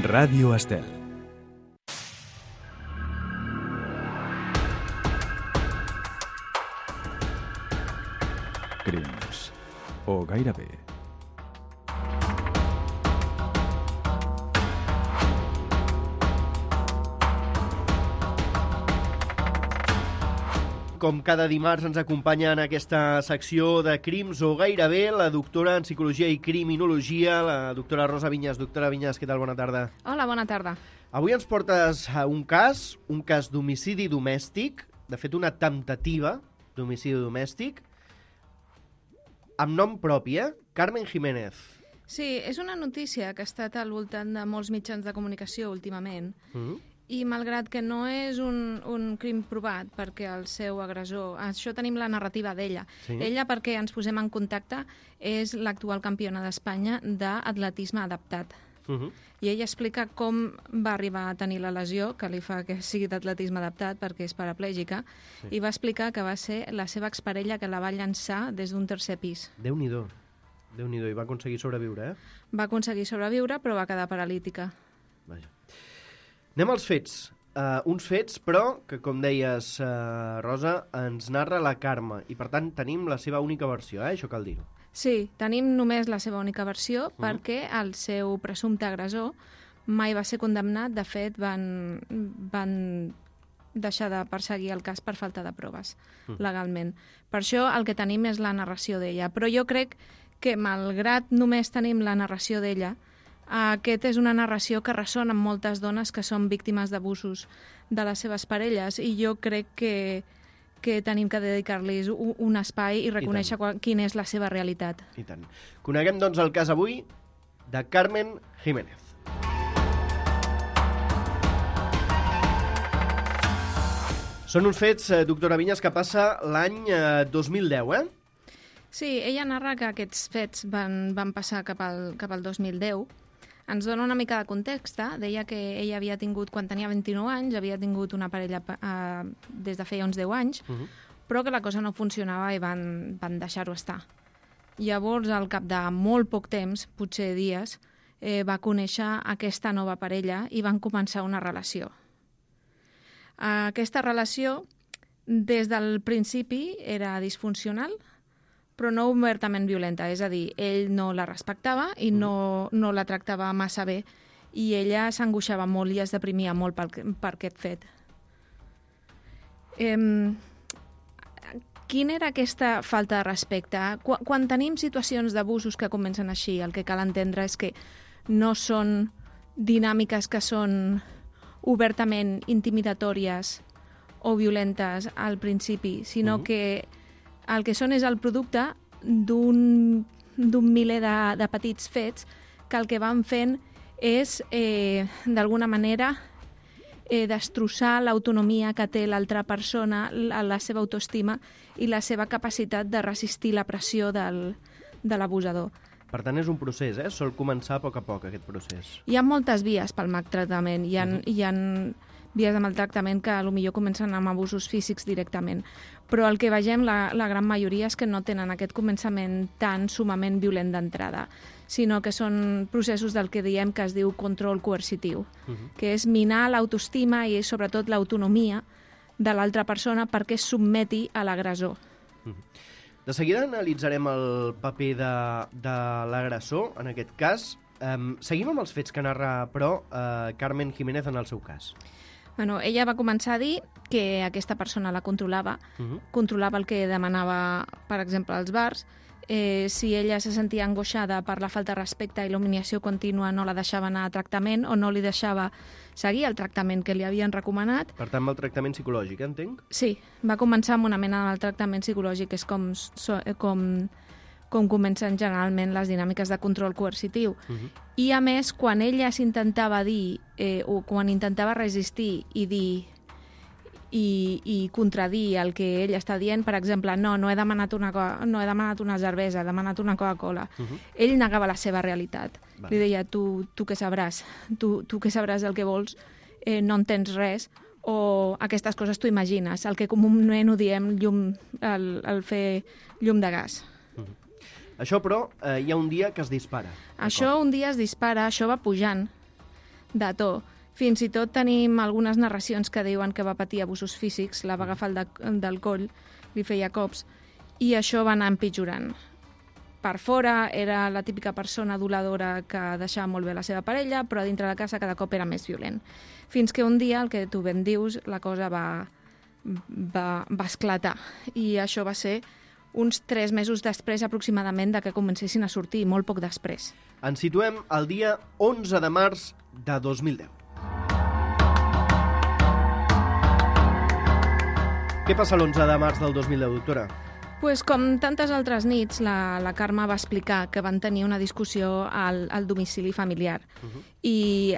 Ràdio Estel. Crims. O gairebé. Com cada dimarts ens acompanya en aquesta secció de Crims o gairebé la doctora en Psicologia i Criminologia, la doctora Rosa Vinyes. Doctora Vinyes, què tal? Bona tarda. Hola, bona tarda. Avui ens portes a un cas d'homicidi domèstic, de fet una temptativa d'homicidi domèstic, amb nom propi, Carmen Jiménez. Sí, és una notícia que ha estat al voltant de molts mitjans de comunicació últimament, i malgrat que no és un crim provat perquè el seu agressor... Això tenim la narrativa d'ella. Sí. Ella, perquè ens posem en contacte, és l'actual campiona d'Espanya d'atletisme adaptat. I ella explica com va arribar a tenir la lesió que li fa que sigui d'atletisme adaptat perquè és paraplègica, i va explicar que va ser la seva exparella que la va llançar des d'un tercer pis. Déu-n'hi-do, i va aconseguir sobreviure, Va aconseguir sobreviure, però va quedar paralítica. Vaja. Anem als fets. Uns fets, però, que com deies, Rosa, ens narra la Carme, i per tant tenim la seva única versió, això cal dir-ho. Sí, tenim només la seva única versió perquè el seu presumpte agressor mai va ser condemnat. De fet, van deixar de perseguir el cas per falta de proves, legalment. Per això el que tenim és la narració d'ella. Però jo crec que, malgrat només tenim la narració d'ella, aquest és una narració que ressona amb moltes dones que són víctimes d'abusos de les seves parelles, i jo crec que tenim que dedicar-los un espai i reconèixer quina és la seva realitat. I tant. Coneguem, doncs, el cas avui de Carmen Jiménez. Són uns fets, doctora Vinyes, que passa l'any 2010, Sí, ella narra que aquests fets van passar cap al 2010. Ens dona una mica de context. Deia que ella havia tingut, quan tenia 29 anys, havia tingut una parella des de feia uns 10 anys, però que la cosa no funcionava i van deixar-ho estar. Llavors, al cap de molt poc temps, potser dies, va conèixer aquesta nova parella i van començar una relació. Aquesta relació, des del principi, era disfuncional, però no obertament violenta, és a dir, ell no la respectava i no la tractava massa bé, i ella s'angoixava molt i es deprimia molt per aquest fet. Quina era aquesta falta de respecte? Quan tenim situacions d'abusos que comencen així, el que cal entendre és que no són dinàmiques que són obertament intimidatòries o violentes al principi, sinó que el que són és el producte d'un miler de petits fets que el que van fent és, d'alguna manera, destrossar l'autonomia que té l'altra persona, la seva autoestima i la seva capacitat de resistir la pressió de l'abusador. Per tant, és un procés, sol començar a poc, aquest procés. Hi ha moltes vies pel maltractament. Hi ha vies de maltractament que potser comencen amb abusos físics directament. Però el que vegem, la gran majoria, és que no tenen aquest començament tan sumament violent d'entrada, sinó que són processos del que diem que es diu control coercitiu, que és minar l'autoestima i sobretot l'autonomia de l'altra persona perquè es submeti a l'agressor. De seguida analitzarem el paper de l'agressor, en aquest cas. Seguim amb els fets que narra, però, Carmen Jiménez en el seu cas. Bueno, ella va començar a dir que aquesta persona la controlava, controlava el que demanava, per exemple, als bars. Si ella se sentia angoixada per la falta de respecte i l'humiliació contínua, no la deixava anar a tractament o no li deixava seguir el tractament que li havien recomanat. Per tant, el tractament psicològic, entenc? Sí, va començar amb una mena de tractament psicològic, és com comencen generalment les dinàmiques de control coercitiu. I, a més, quan ella s'intentava dir, o quan intentava resistir i dir i contradir el que ell està dient, per exemple, no he demanat una cervesa, he demanat una Coca-Cola. Ell negava la seva realitat. Li deia, tu què sabràs? Tu què sabràs el que vols? No entens res. O aquestes coses t'ho imagines. El que comúment ho diem el fer llum de gas. Això, però, hi ha un dia que es dispara. Això un dia es dispara, això va pujant. de to. Fins i tot tenim algunes narracions que diuen que va patir abusos físics, la va agafar del coll, li feia cops, i això va anar empitjorant. Per fora era la típica persona aduladora que deixava molt bé la seva parella, però dintre de casa cada cop era més violent. Fins que un dia, el que tu ben dius, la cosa va esclatar. I això va ser uns 3 mesos després aproximadament de que comencessin a sortir, molt poc després. Ens situem al dia 11 de març de 2010. Què passa l'11 de març del 2010, doctora? Pues, com tantes altres nits, la Carme va explicar que van tenir una discussió al domicili familiar. I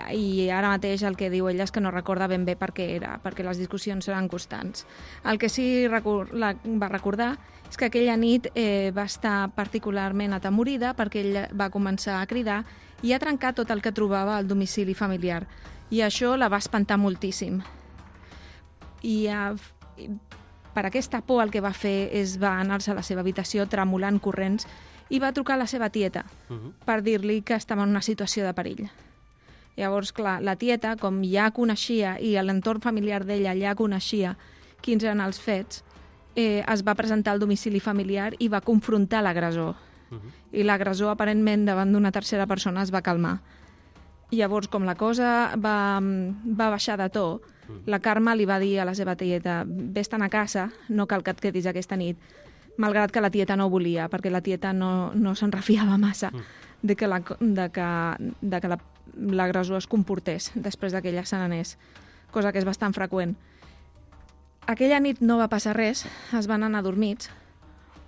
ara mateix el que diu ella és que no recorda ben bé per què era, perquè les discussions eren constants. El que sí va recordar és que aquella nit va estar particularment atemorida perquè ella va començar a cridar i a trencar tot el que trobava al domicili familiar. I això la va espantar moltíssim. Per aquesta por el que va fer és va anar-se a la seva habitació tremolant corrents i va trucar a la seva tieta per dir-li que estava en una situació de perill. Llavors, clar, la tieta, com ja coneixia i l'entorn familiar d'ella ja coneixia quins eren els fets, es va presentar al domicili familiar i va confrontar l'agressor. I l'agressor, aparentment, davant d'una tercera persona es va calmar. Llavors, com la cosa va baixar de to, la Carme li va dir a la seva tieta: vés-te'n a casa, no cal que et quedis aquesta nit, malgrat que la tieta no volia, perquè la tieta no se'n refiava massa de que l'agressor es comportés després que ella se n'anés, cosa que és bastant freqüent. Aquella nit no va passar res, es van anar dormits,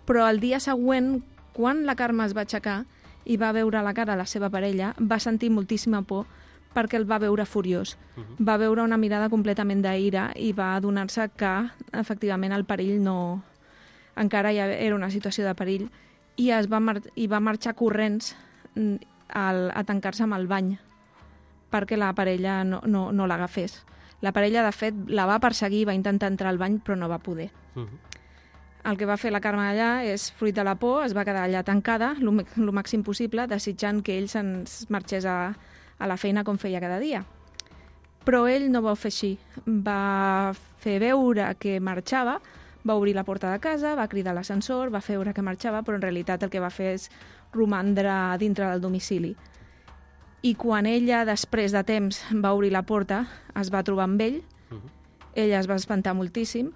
però el dia següent, quan la Carme es va aixecar i va veure la cara de la seva parella, va sentir moltíssima por perquè el va veure furiós. Va veure una mirada completament d'ira i va adonar-se que, efectivament, el perill encara ja era una situació de perill i va marxar corrents a tancar-se amb el bany perquè la parella no l'agafés. La parella, de fet, la va perseguir, va intentar entrar al bany, però no va poder. El que va fer la Carme allà és, fruit de la por, es va quedar allà tancada el màxim possible, desitjant que ell se'ns marxés a la feina com feia cada dia. Però ell no va fer així. Va fer veure que marxava, va obrir la porta de casa, va cridar a l'ascensor, va fer veure que marxava, però en realitat el que va fer és romandre dintre del domicili. I quan ella, després de temps, va obrir la porta, es va trobar amb ell, ella es va espantar moltíssim,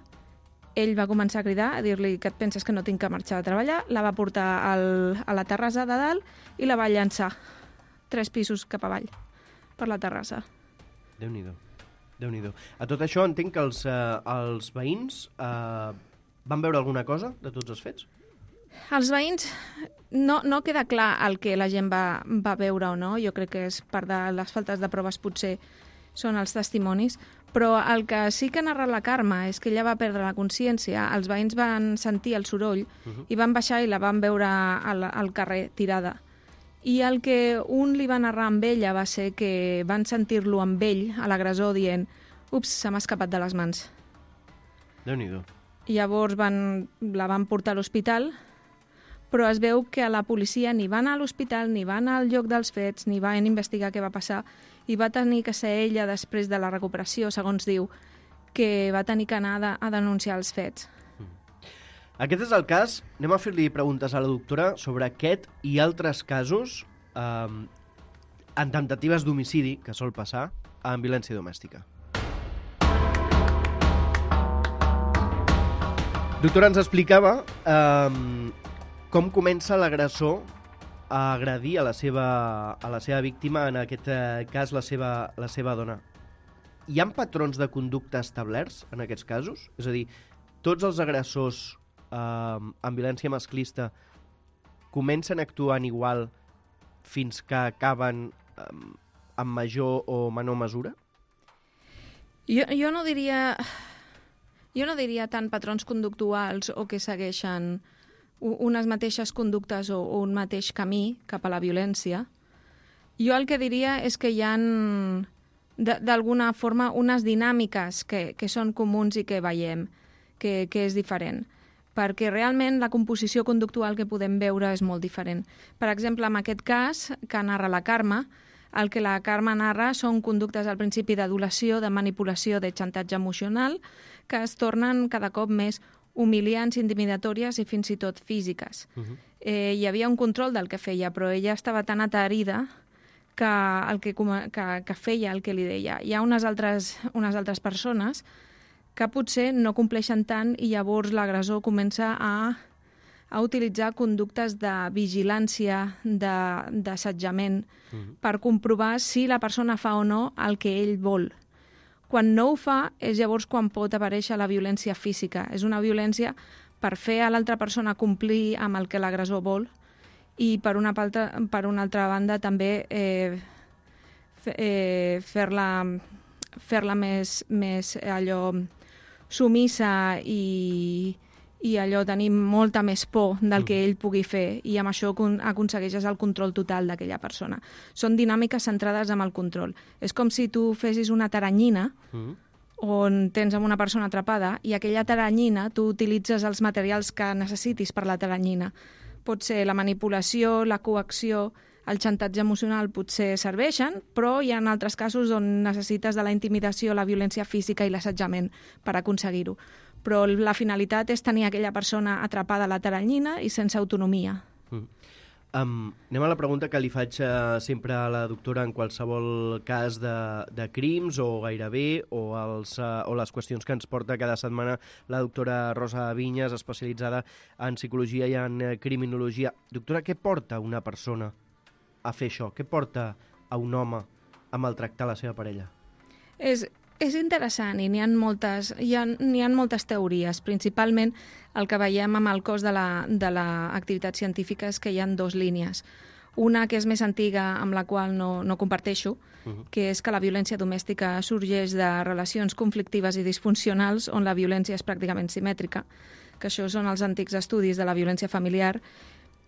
ell va començar a cridar, a dir-li que et penses que no tinc que marxar a treballar, la va portar a la terrassa de dalt i la va llançar 3 pisos cap avall, per la terrassa. Déu-n'hi-do, Déu-n'hi-do. A tot això entenc que els veïns van veure alguna cosa de tots els fets? Els veïns, no queda clar el que la gent va veure o no, jo crec que és part de les faltes de proves, potser són els testimonis, però el que sí que ha narrat la Carme és que ella va perdre la consciència, els veïns van sentir el soroll i van baixar i la van veure al carrer tirada. I el que un li va narrar amb ella va ser que van sentir-lo amb ell, a l'agressor, dient: ups, se m'ha escapat de les mans. Déu-n'hi-do. Llavors la van portar a l'hospital, però es veu que la policia ni va anar a l'hospital, ni va anar al lloc dels fets, ni van investigar què va passar, i va tenir que ser ella, després de la recuperació, segons diu, que va tenir que anar a denunciar els fets. Aquest és el cas. Anem a fer-li preguntes a la doctora sobre aquest i altres casos en temptatives d'homicidi que sol passar en violència domèstica. Doctora, ens explicava com comença l'agressor a agredir a la seva víctima, en aquest cas la seva dona. Hi ha patrons de conducta establerts en aquests casos? És a dir, tots els agressors en violència masclista comencen actuant igual fins que acaben en major o menor mesura? Jo no diria tant patrons conductuals o que segueixen unes mateixes conductes o un mateix camí cap a la violència. Jo el que diria és que hi ha d'alguna forma unes dinàmiques que són comuns i que veiem, que és diferent, perquè realment la composició conductual que podem veure és molt diferent. Per exemple, en aquest cas, que narra la Carme, El que la Carme narra són conductes al principi d'adulació, de manipulació, de xantatge emocional, que es tornen cada cop més humiliants, intimidatòries i fins i tot físiques. Hi havia un control del que feia, però ella estava tan aterida que feia el que li deia. Hi ha unes altres persones que potser no compleixen tant i llavors l'agressor comença a utilitzar conductes de vigilància, d'assetjament, per comprovar si la persona fa o no el que ell vol. Quan no ho fa és llavors quan pot aparèixer la violència física. És una violència per fer a l'altra persona complir amb el que l'agressor vol i per una altra banda també fer-la més allò sumissa i allò tenir molta més por del que ell pugui fer i amb això aconsegueixes el control total d'aquella persona. Són dinàmiques centrades en el control. És com si tu fessis una taranyina on tens amb una persona atrapada i aquella taranyina tu utilitzes els materials que necessitis per la taranyina. Pot ser la manipulació, la coacció, el xantatge emocional potser serveixen, però hi ha altres casos on necessites de la intimidació, la violència física i l'assetjament per aconseguir-ho. Però la finalitat és tenir aquella persona atrapada a la taranyina i sense autonomia. Anem a la pregunta que li faig sempre a la doctora en qualsevol cas de crims o gairebé, o les qüestions que ens porta cada setmana la doctora Rosa Vinyes, especialitzada en psicologia i en criminologia. Doctora, què porta una persona a fer això? Què porta a un home a maltractar la seva parella? És interessant i n'hi ha moltes teories. Principalment el que veiem amb el cos de l'activitat científica és que hi ha dues línies. Una que és més antiga, amb la qual no comparteixo, que és que la violència domèstica sorgeix de relacions conflictives i disfuncionals on la violència és pràcticament simètrica, que això són els antics estudis de la violència familiar.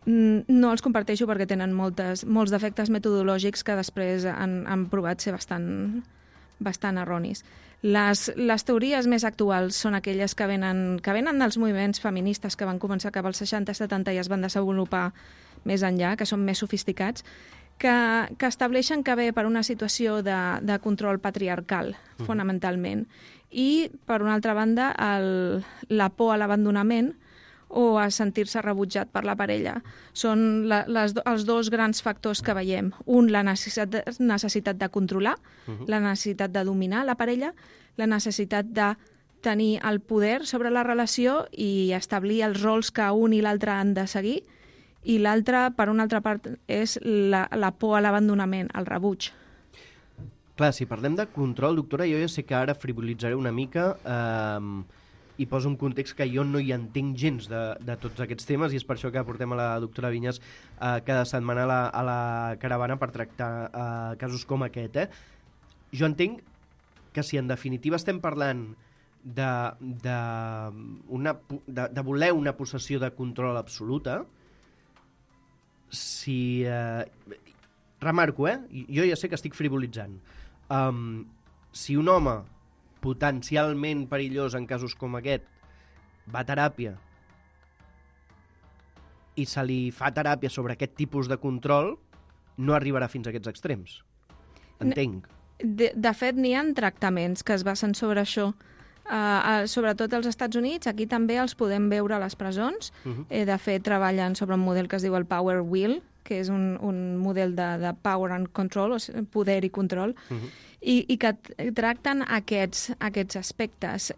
No els comparteixo perquè tenen molts defectes metodològics que després han provat ser bastant erronis. Les teories més actuals són aquelles que venen dels moviments feministes que van començar cap als 60-70 i es van desenvolupar més enllà, que són més sofisticats, que estableixen que ve per una situació de control patriarcal, fonamentalment, i, per una altra banda, la por a l'abandonament o a sentir-se rebutjat per la parella. Són els dos grans factors que veiem. Un, la necessitat de controlar, la necessitat de dominar la parella, la necessitat de tenir el poder sobre la relació i establir els rols que un i l'altre han de seguir, i l'altra, per una altra part, és la por a l'abandonament, el rebuig. Clar, si parlem de control, doctora, jo ja sé que ara frivolitzaré una mica i poso un context que jo no hi entenc gens de tots aquests temes i és per això que portem a la doctora Vinyes cada setmana a la caravana per tractar casos com aquest. Jo entenc que si en definitiva estem parlant de voler una possessió de control absoluta, si... remarco, jo ja sé que estic frivolitzant. Si un home potencialment perillós en casos com aquest va a teràpia i se li fa teràpia sobre aquest tipus de control, no arribarà fins a aquests extrems. Entenc. De fet, n'hi ha tractaments que es basen sobre això. Sobretot als Estats Units, aquí també els podem veure a les presons. De fet, treballen sobre un model que es diu el Power Wheel, que és un model de power and control, o sigui, poder i control, i que tracten aquests aspectes.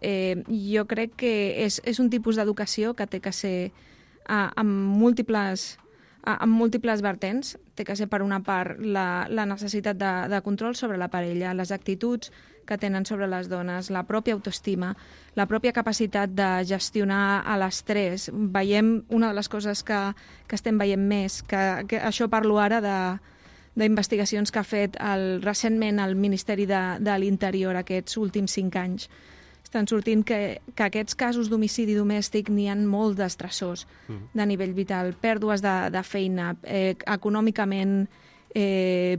Jo crec que és un tipus d'educació que té que ser amb múltiples vertents. Té que ser, per una part, la necessitat de control sobre la parella, les actituds que tenen sobre les dones, la pròpia autoestima, la pròpia capacitat de gestionar l'estrès. Veiem una de les coses que estem veient més, que això parlo ara d'investigacions que ha fet recentment el Ministeri de l'Interior aquests últims 5 anys. Estan sortint que aquests casos d'homicidi domèstic n'hi ha molt d'estressors de nivell vital, pèrdues de feina, econòmicament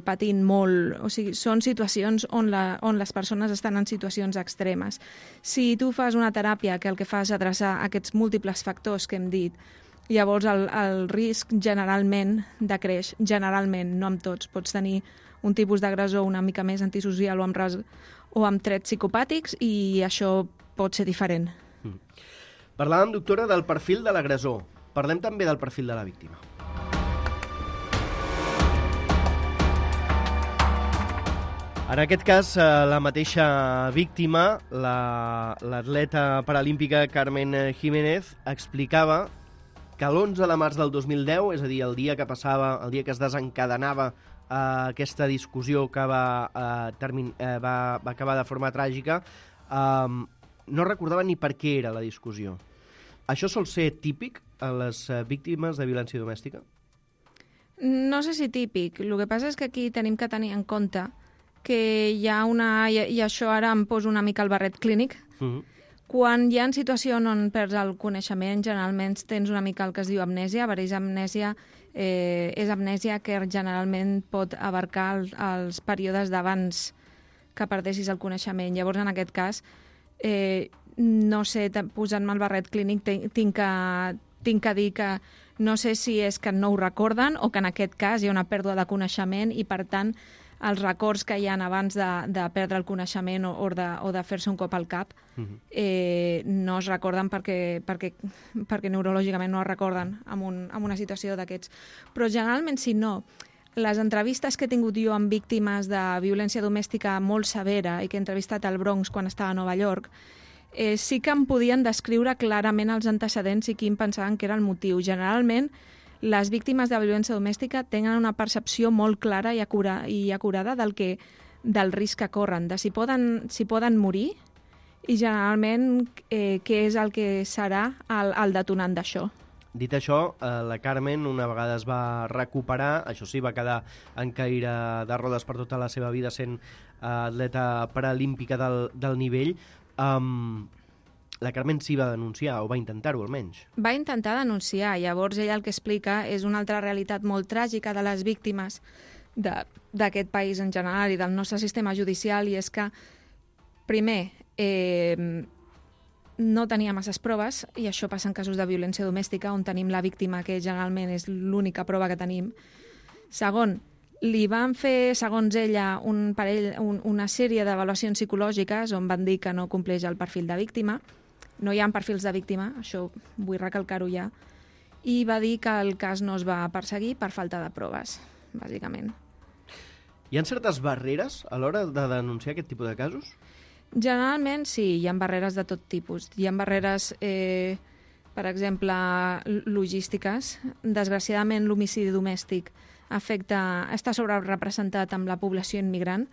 patint molt. O sigui, són situacions on les persones estan en situacions extremes. Si tu fas una teràpia que el que fa és adreçar aquests múltiples factors que hem dit, Llavors el risc generalment decreix, generalment, no amb tots. Pots tenir un tipus d'agressor una mica més antisocial o amb trets psicopàtics i això pot ser diferent. Parlàvem, doctora, del perfil de l'agressor. Parlem també del perfil de la víctima. En aquest cas, la mateixa víctima, l'atleta paralímpica Carmen Jiménez, explicava que l'11 de març del 2010, és a dir, el dia que es desencadenava aquesta discussió que va acabar de forma tràgica, no recordava ni per què era la discussió. Això sol ser típic a les víctimes de violència domèstica? No sé si típic. El que passa és que aquí tenim que tenir en compte que hi ha i això ara em poso una mica el barret clínic, quan hi ha situacions on perds el coneixement, generalment tens una mica el que es diu amnèsia. Vereix, amnèsia és amnèsia que generalment pot abarcar els períodes d'abans que perdessis el coneixement. Llavors, en aquest cas, no sé, posant-me el barret clínic, tinc que dir que no sé si és que no ho recorden o que en aquest cas hi ha una pèrdua de coneixement i, per tant, els records que hi ha abans de perdre el coneixement o de fer-se un cop al cap no es recorden perquè neurològicament no es recorden en una situació d'aquests. Però generalment, si no, les entrevistes que he tingut jo amb víctimes de violència domèstica molt severa i que he entrevistat al Bronx quan estava a Nova York, sí que em podien descriure clarament els antecedents i quin pensaven que era el motiu. Generalment, les víctimes de violència domèstica tenen una percepció molt clara i acurada del risc que corren, de si poden morir i generalment què és el que serà el detonant d'això. Dit això, la Carmen una vegada es va recuperar, això sí, va quedar en caire de rodes per tota la seva vida sent atleta paralímpica del nivell. La Carmen sí va denunciar, o va intentar-ho almenys. Va intentar denunciar, llavors ella el que explica és una altra realitat molt tràgica de les víctimes d'aquest país en general i del nostre sistema judicial, i és que, primer, no tenia masses proves, i això passa en casos de violència domèstica, on tenim la víctima, que generalment és l'única prova que tenim. Segon, li van fer, segons ella, una sèrie d'avaluacions psicològiques on van dir que no compleix el perfil de víctima. No hi ha perfils de víctima, això vull recalcar-ho ja, i va dir que el cas no es va perseguir per falta de proves, bàsicament. Hi ha certes barreres a l'hora de denunciar aquest tipus de casos? Generalment sí, hi ha barreres de tot tipus. Hi ha barreres, per exemple, logístiques. Desgraciadament, l'homicidi domèstic està sobrerepresentat amb la població immigrant.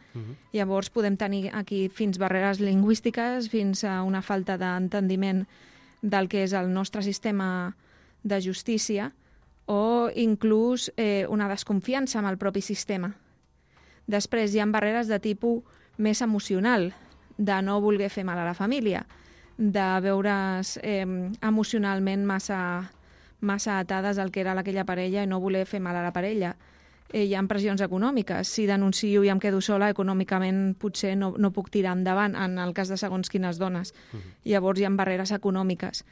Llavors podem tenir aquí fins barreres lingüístiques, fins a una falta d'entendiment del que és el nostre sistema de justícia o inclús una desconfiança amb el propi sistema. Després hi ha barreres de tipus més emocional, de no voler fer mal a la família, de veure's emocionalment massa atades al que era aquella parella i no voler fer mal a la parella. Hi ha pressions econòmiques. Si denuncio i em quedo sola, econòmicament potser no puc tirar endavant, en el cas de segons quines dones. Llavors hi ha barreres econòmiques.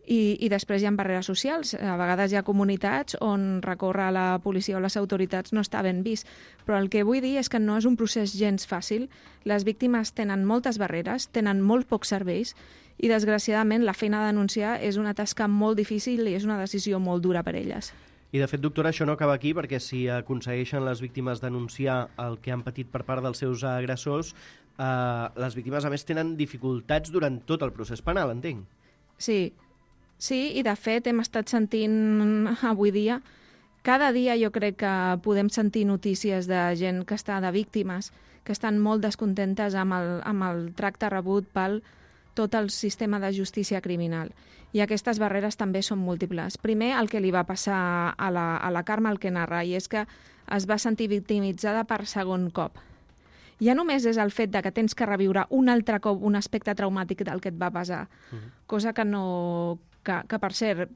I després hi ha barreres socials. A vegades hi ha comunitats on recórrer a la policia o les autoritats no està ben vist. Però el que vull dir és que no és un procés gens fàcil. Les víctimes tenen moltes barreres, tenen molt pocs serveis i, desgraciadament, la feina de denunciar és una tasca molt difícil i és una decisió molt dura per elles. I, de fet, doctora, això no acaba aquí, perquè si aconsegueixen les víctimes denunciar el que han patit per part dels seus agressors, les víctimes, a més, tenen dificultats durant tot el procés penal, entenc. Sí, i de fet hem estat sentint avui dia, cada dia jo crec que podem sentir notícies de gent que està de víctimes, que estan molt descontentes amb el tracte rebut pel tot el sistema de justícia criminal. I aquestes barreres també són múltiples. Primer, el que li va passar a la Carme, el que narra, i és que es va sentir victimitzada per segon cop. Ja només és el fet de que tens que reviure un altre cop un aspecte traumàtic del que et va passar, cosa que per cert,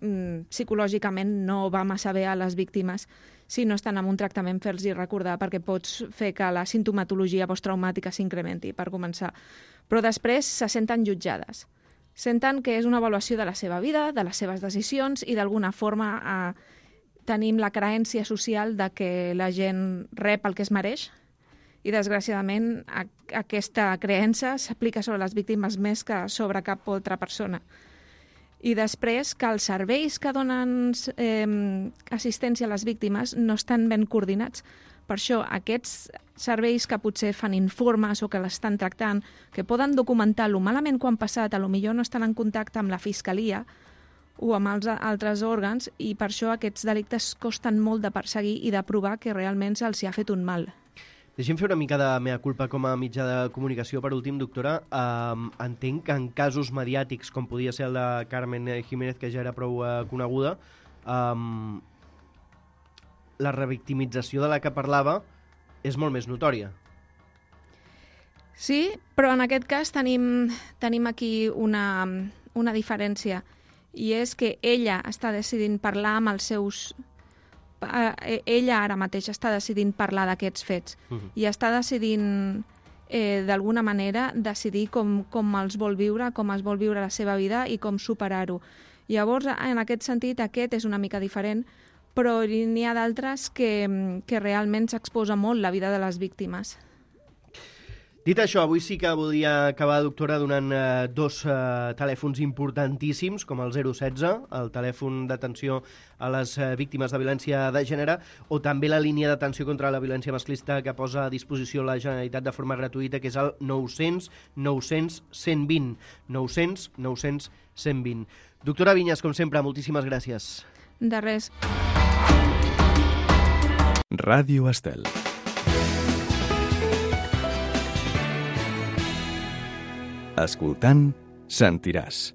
psicològicament no va massa bé a les víctimes si no estan en un tractament, fer-los recordar, perquè pots fer que la sintomatologia posttraumàtica s'incrementi, per començar. Però després se senten jutjades. Senten que és una avaluació de la seva vida, de les seves decisions i d'alguna forma tenim la creença social de que la gent rep el que es mereix i, desgraciadament, aquesta creença s'aplica sobre les víctimes més que sobre cap altra persona. I després que els serveis que donen assistència a les víctimes no estan ben coordinats. Per això, aquests serveis que potser fan informes o que l'estan tractant, que poden documentar lo malament que han passat, potser no estan en contacte amb la fiscalia o amb els altres òrgans, i per això aquests delictes costen molt de perseguir i de provar que realment se'ls ha fet un mal. Deixem fer una mica de mea culpa com a mitjà de comunicació. Per últim, doctora, entenc que en casos mediàtics, com podia ser el de Carmen Jiménez, que ja era prou coneguda, la revictimització de la que parlava és molt més notòria. Sí, però en aquest cas tenim aquí una diferència, i és que ella està decidint parlar amb els seus... Ella ara mateix està decidint parlar d'aquests fets i està decidint, d'alguna manera, decidir com els vol viure, com es vol viure la seva vida i com superar-ho. Llavors, en aquest sentit, aquest és una mica diferent, però n'hi ha d'altres que realment s'exposa molt la vida de les víctimes. Dit això, avui sí que voldria acabar, doctora, donant dos telèfons importantíssims, com el 016, el telèfon d'atenció a les víctimes de violència de gènere, o també la línia d'atenció contra la violència masclista que posa a disposició la Generalitat de forma gratuïta, que és el 900 900 120. 900 900 120. Doctora Viñas, com sempre, moltíssimes gràcies. De res. Ràdio Estel. Escoltant, sentiràs.